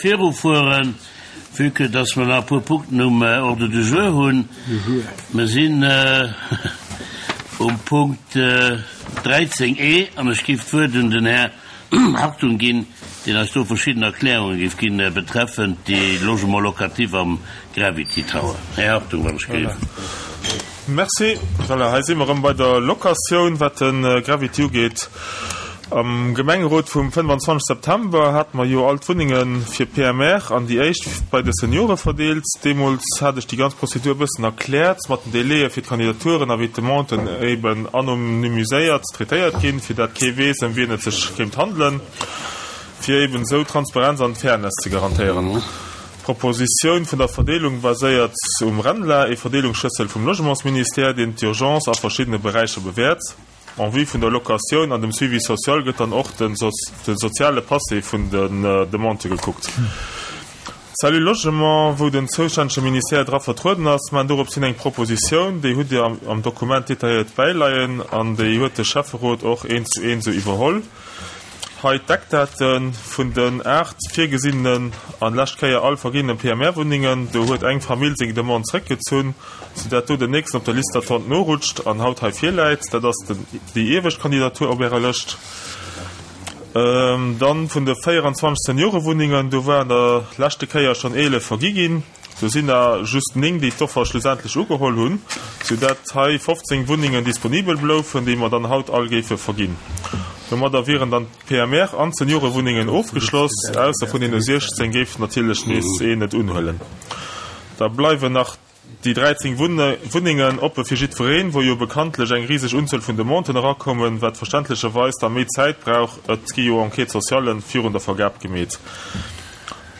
virufueren, vue que dass mer nach e puer Punkten um Ordre du jour hunn. Mer sinn um Punkt 13 e an ech géif d'Wuert un den Här Hartung ginn, deen eis do verschidden Erklärunge géif ginn betreffend déi Logements locatifs am Gravity Tower. Här Hartung, wann ech géif. Merci. Voilà, hei si mer erëm bei der Locatioun, wat de Gravity ugeet. Am Gemengerot vum 25 September hate mer jo all d'Wunnenge fir PMR an déi éischt bei de Seniore verdeelt. Deemools hat ech déi ganz Prozedur e bëssen erkläert, mat den Délaië fir d'Kandidaturen a wéi d'Demanden eben anonymiséiert traitéiert ginn, fir dat kee weess, ëm wien et sech kéint handelen, fir eben esou Transparenz an Fairness ze garantéieren. D'Propositioun vun der Verdeelung baséiert um RENLA, ee Verdeelungsschlëssel vum Logementsministère, deen d'Urgence a verschiddene Beräicher bewäert. En vue vun der Locatioun an dem Suivi social gëtt dann och de soziale Passé vun den Demandë gekuckt. D'Cellule Logement, wou den zoustännege Ministère dra vertrueden ass, maachen dorops hin eng Propositioun. Déi hutt Dir am Dokument detailléiert bäileien an déi huet de Schäfferot och eent zu eent esou iwwerholl. Hei d'Eckdate vun den 8 virgesinnenen an lescht Kéier all verginnene PMR-Wunnengen. Do huet eng Famill seng Demande zréckgezunn, sou dat do den nächsten op der Liste d'attente norutscht an haut hei virläit. Dat ass den déi iewescht Kandidatur op Ärer Lëscht. Dann vun de 24 Seniorewunnengen, do waren der leschte Kéier schonn 11 vergi ginn. Do sinn der just 9, déi d'Offer schlussendlech ugeholl hunn, sou dat hei 15 Wunnengen disponibel bloufen, déi mer dann haut all géife verginn. Domadder wieren dann d'PMR an d'Seniorewunnengen ofgeschloss, ausser vun deene 16 géif natierlech nees een et unhuelen. Da bleiwen nach déi 13 Wunnengen oppe fir jiddwereen, wou jo bekanntlech eng riseg Unzuel vun Demanden erakommen, wat verständlecherweis da méi Zäit brauch, et gi jo Enquêtes socialen virun der Vergab gemeet.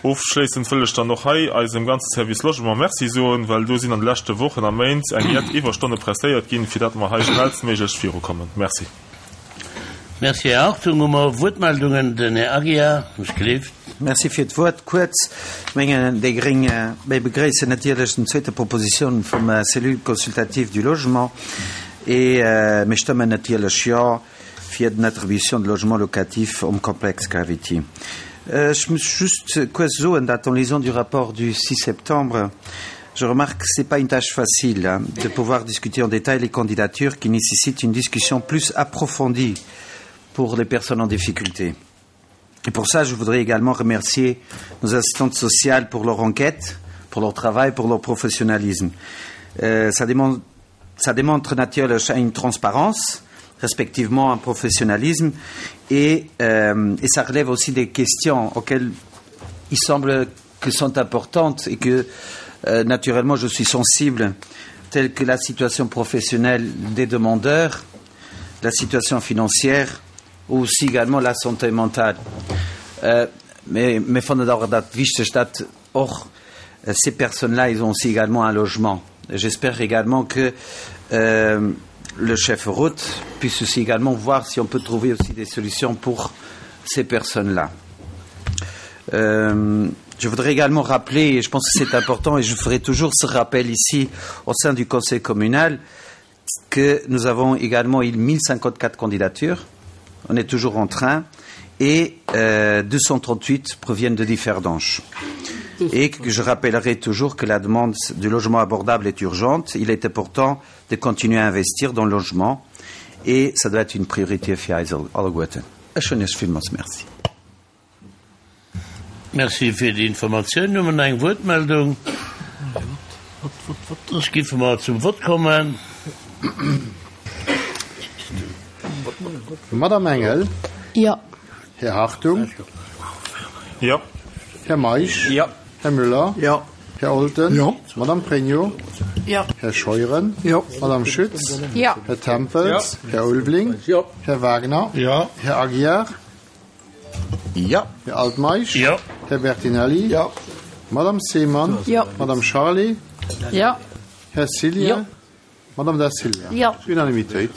Ofschléissend wëll ech dann och hei eisem ganze Service Logement Merci soen, well do sinn an de leschte Wochen a Méint eng jett Iwwerstonne prestéiert ginn, fir dat mer hei schnellstméiglech virukommen. Merci. Merci, Här Hartung. Hu mer Wuertmeldungen? Den Här Aguiar, ech gleeft. Merci fir d'Wuert. Kuerz, ech mengen, déi gréng, mir begréissen natierlech den zweete Proposition vum Cellule consultative du logement et mir stëmmen natierlech Jo. fir den Attribution de logements locatifs um Complexe Gravity. Ech muss just kuerz soen, dat en lisant du rapport du 6 septembre, je remarque que ce n'est pas une tâche facile de pouvoir discuter en détail les candidatures qui nécessitent une discussion plus approfondie pour les personnes en difficulté. Et pour ça, je voudrais également remercier nos assistantes sociales pour leur enquête, pour leur travail, pour leur professionnalisme. Euh, ça, démontre, ça démontre naturellement une transparence, respectivement un professionnalisme, et, euh, et ça relève aussi des questions auxquelles il semble que sont importantes et que euh, naturellement je suis sensible, telles que la situation professionnelle des demandeurs, la situation financière ou aussi également la santé mentale. Euh, mais mais fannen et awer dat wichteg, dat och ces personnes-là, ils ont aussi également un logement. J'espère également que euh, le chef route puisse aussi également voir si on peut trouver aussi des solutions pour ces personnes-là. Euh, je voudrais également rappeler, et je pense que c'est important, et je ferai toujours ce rappel ici au sein du conseil communal, que nous avons également eu 1054 candidatures. On est toujours en train et euh, 238 proviennent de Differdange. Et que je rappellerai toujours que la demande du logement abordable est urgente. Il est important de continuer à investir dans le logement et ça doit être une priorité fir eis alleguerten. Ech hunn Iech villmools Merci. Merci fir déi Informatioun. Hu mer nach eng Wuertmeldung? Soss giffe mer zum Vott kommen. Madame Engel. Jo. Här Hartung. Jo. Här Meisch. Jo. Här Müller. Jo. Här Olten. Jo. Madame Pregno. Jo. Här Scheuren. Jo. Madame Schütz. Jo. Här Tempels. Jo. Här Ulveling. Jo. Här Wagner. Jo. Här Aguiar. Jo. Här Altmeisch. Jo. Här Bertinelli. Jo. Madame Seemann. Jo. Madame Charlé. Jo. Här Cillien. Jo. Madame Da Silva. Jo. Unanimitéit.